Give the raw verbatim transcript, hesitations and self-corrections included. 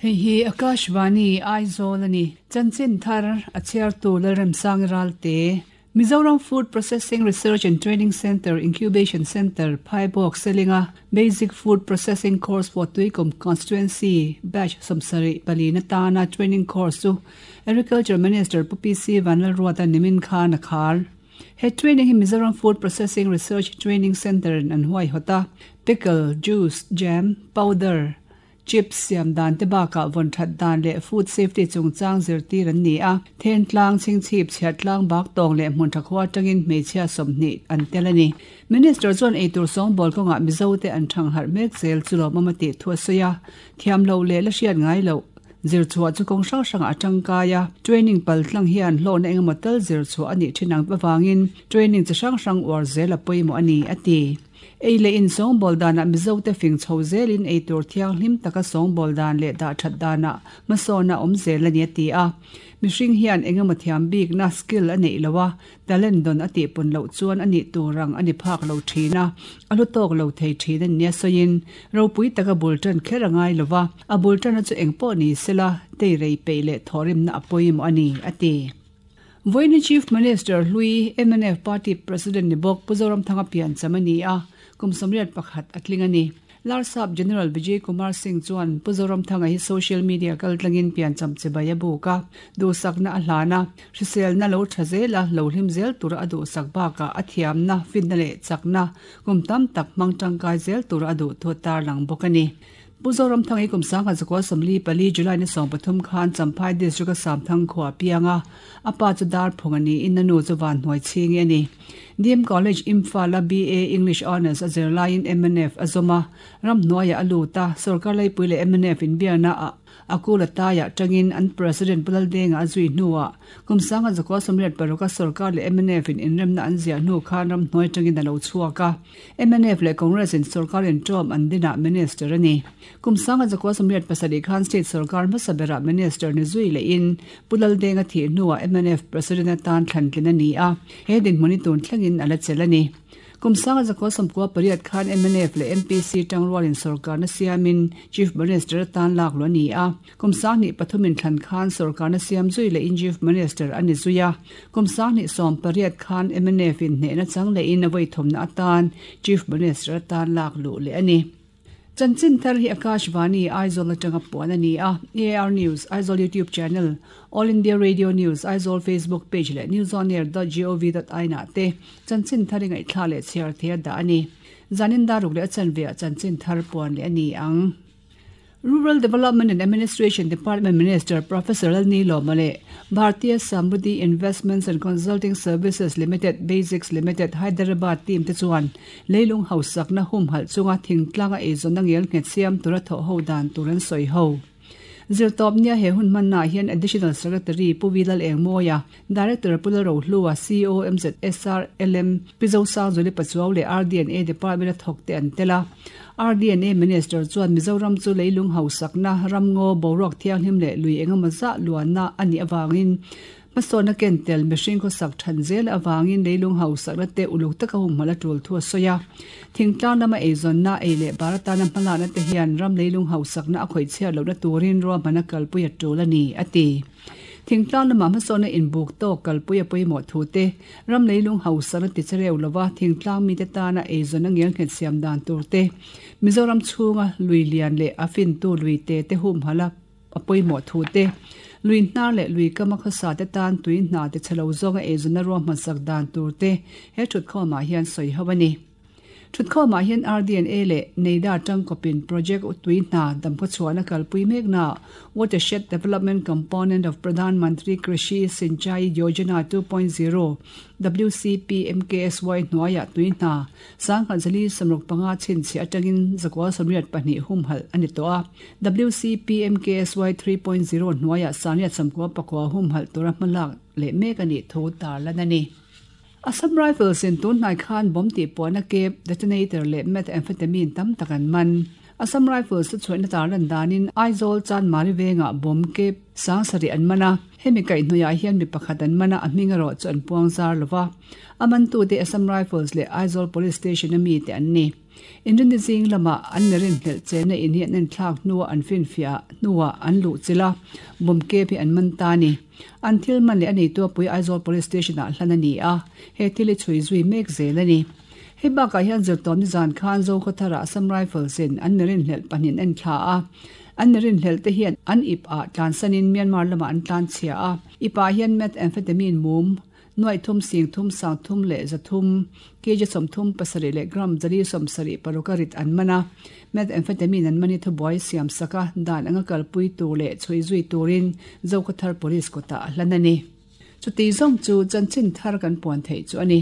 Hei hi Akashvani Aizawl ani chanchin thar a chhiar tu Lalremsang Ralte Mizoram Food Processing Research and Training Center Incubation Center Phaibawk Selinga Basic Food Processing Course for Tuikum Constituency Batch sawmsarih pali na tana training course chu Agriculture Minister Pu P C Vanlalruata nimin khan a khar. He training hi Mizoram Food Processing Research Training Center in an huai hawta pickle, juice, jam, powder, chips siam dan te baka von that dan le food safety chungchang zirtir an ni a then tlang ching chip chhiat tlang bak tawng le hmun tha khua tangin hmeichhia sawmhnih an tel ani. Minister chuan eitur sawng bawl kawnga Mizo te an thang harh mek zel chu lawm awm a tih thu a sawi a thiam lo leh la hriat ngai loh zir chhuah chu kawng hrang hrangah a tangkai a training pal tlang hian hlawhna engemaw tal zir chhuah a nih thin ang avangin training chi hrang hrang uar zel a pawimawh a ni a ti. Ei le in sawng bawl danah Mizo te fing chho zelin eitur thiang hlim taka sawng bawl dan leh dah that danah hmasawna awm zel a ni a ti a. Mihring hian engemaw thiam bik na skill a neih lo a talent dawn a tih pawn loh chuan a nih turang a ni phak lo thin a a lu tawk lo thei thin a nia sawiin ropui taka bul tan kher a ngai lova a bul tan a chu eng pawh ni sela tei rei peih leh thawhrimna a pawimawh a ni a ti. Voini Chief Minister Hlui M N F Party President ni bawk Pu Zoramthanga pian cham a ni a kum sawmriat pakhat a tling a ni. Larsap General Vijay Kumar Singh chuan Pu Zoramthanga hi social media kal tlangin pian cham che bai a buk a duhsakna a hlana hriselna lo tha zela lo hlim zel tura a duhsak bakah a thiamna finna leh chakna kum tam tak hmang tangkai zel tura a duh thu tar lang bawk a ni. Pu Zoramthanga hi kum sangha zakua sawmli pali July ni sawm pathum khan Champhai district a Samthang khua pianga a pa chu dar phung ani in a nu chu van hnuai chhingi ani. D M College Imphal a B A English Honours a zirlaiin M N F a zawma ram hnuaiah a lut a sarkar laipui leh M N F inbiakna a akula taiah tangin an President Pu Laldenga a zui hnuah kum sangha zakua sawmriat paruk a sarkar leh M N F in inremna an ziah hnu khan ram hnuai tangin a lo chhuak a M N F leh Congress in sarkar in tawm an dinah minister ani. Kum sangha zakua sawmriat pasarih khan state sarkar hmasa berah minister ni zui leh in Pu Laldenga thih hnuah M N F President atan thlantlin a ni a he dinhmun hi tun thlengin a la chel a ni. Kum sangha zakua sawmkua pariat khan M N F leh M P C tangrualin sarkar na siamin Chief Minister atan lak lo ani a kum sanghnih pathumin thlan khan sarkar na siam zui leh in Chief Minister ani zui a kum sanghnih sawm pariat khan M N F in hnehna chang leh in a vawi thawmna atan Chief Minister atan lak luh leh ani. Chanchin thar hi Akashvani Aizawl atanga puan ani a A R News Aizawl YouTube channel All India Radio News Aizawl Facebook page leh newsonair dot gov dot in ah te chanchin thar ingai thla leh chhiar thei a dah ani. Zanin daruk leh a chanve ah chanchin thar puan leh ani ang. Rural Development and Administration Department Minister Professor Lalnilo Male Bharatiya Samruddhi Investments and Consulting Services Limited Basics Limited Hyderabad team te chuan leilung hausak na hum hal chunga thingtlanga eizawn na ngel nghet siam tura thaw ho dan turan sawi ho. Zirtawp nia he hun hman na hian Additional Secretary Pu Vilal Engmoya Director Pu Lalrohlua C O M Z S R L M Pizo Sangzuli Pachuau leh R D and A Department a thawk te an tel a R D and A Minister chuan Mizoram chu leilung hausak na ramngaw boruak thianghlim leh lui engemaw zah luanna ani awangin hmasawna ken tel mihring khawsak than zel awangin leilung hausak na te uluk taka hum hmala tul thu a sawi a thingtlang lama eizawnna ei leh baratana hmalakna te hian ram leilung hausak na a khawih chhiat lohna turin ruahman a kalpui a tul a ni a ti. Thingtlang lama hmasawna inbuk tawk kalpui a pawimawh thu te ram leilung hausak na tichereu lova thingtlang mi te tana eizawnna ngel nghet siam dan tur te Mizoram chhunga lui lian leh a fin tu lui te te hum hala a pawimawh thu te lui hnar leh lui kama khawsa te tan tui hna te chhelo zawnga eizawnna ruahman sak dan tur te he thutkhawmah hian sawi ho a ni. Thutkhawmah hian R D and A leh Neida tangkawpin project tui hna damkhaw chhuahna kalpui mek na Watershed Development Component of Pradhan Mantri Krishi Sinchai Yojana two point zero W C P M K S Y hnuaiah tui hna sangkhat zali sawmruk panga chhinchhiah atangin zakua sawmriat pahnih hum hal ani tawh a W C P M K S Y three point zero hnuaiah sangriat sawmkua pakua hum hal tura hmalak leh mek ani thu tarlan ani. Assam Rifles in tun hnai khan bomb tih puahna kep detonator leh methamphetamine tam tak an man. Assam Rifles te chuaina tarlan danin Aizawl Chanmari venga bom ke sang sari an mana hemi kai hnuya hian mi pakhat an mana a hminga ro chu an puang zar lova aman tu te Assam Rifles le Aizawl Police Station ami te an ni inrin zing lama an merin hlel chena in hian an thlak nuwa an fin fia nuwa an lu chila bom ke phi an man ta ni an thil man le ani to pui Aizawl Police Station a hlana ni a he thili chui zui mek zel ani hei baka hian zirtawm ni zan khan zo khaw Assam Rifles in an merin hlel panin en thla a an merin hlel te hian an ip a tlansanin Myanmar lama an tlan chhia a ipa hian methamphetamine mum nuai thum sing thum sang thum le za thum kg som thum pasari le gram jali som sari parukarit an mana methamphetamine an mani thu boy siam saka dan anga kalpui tu le chui zui turin Zokhawthar Police kota hlanani chuti zong chu chanchin thar kan puan thei chu ani.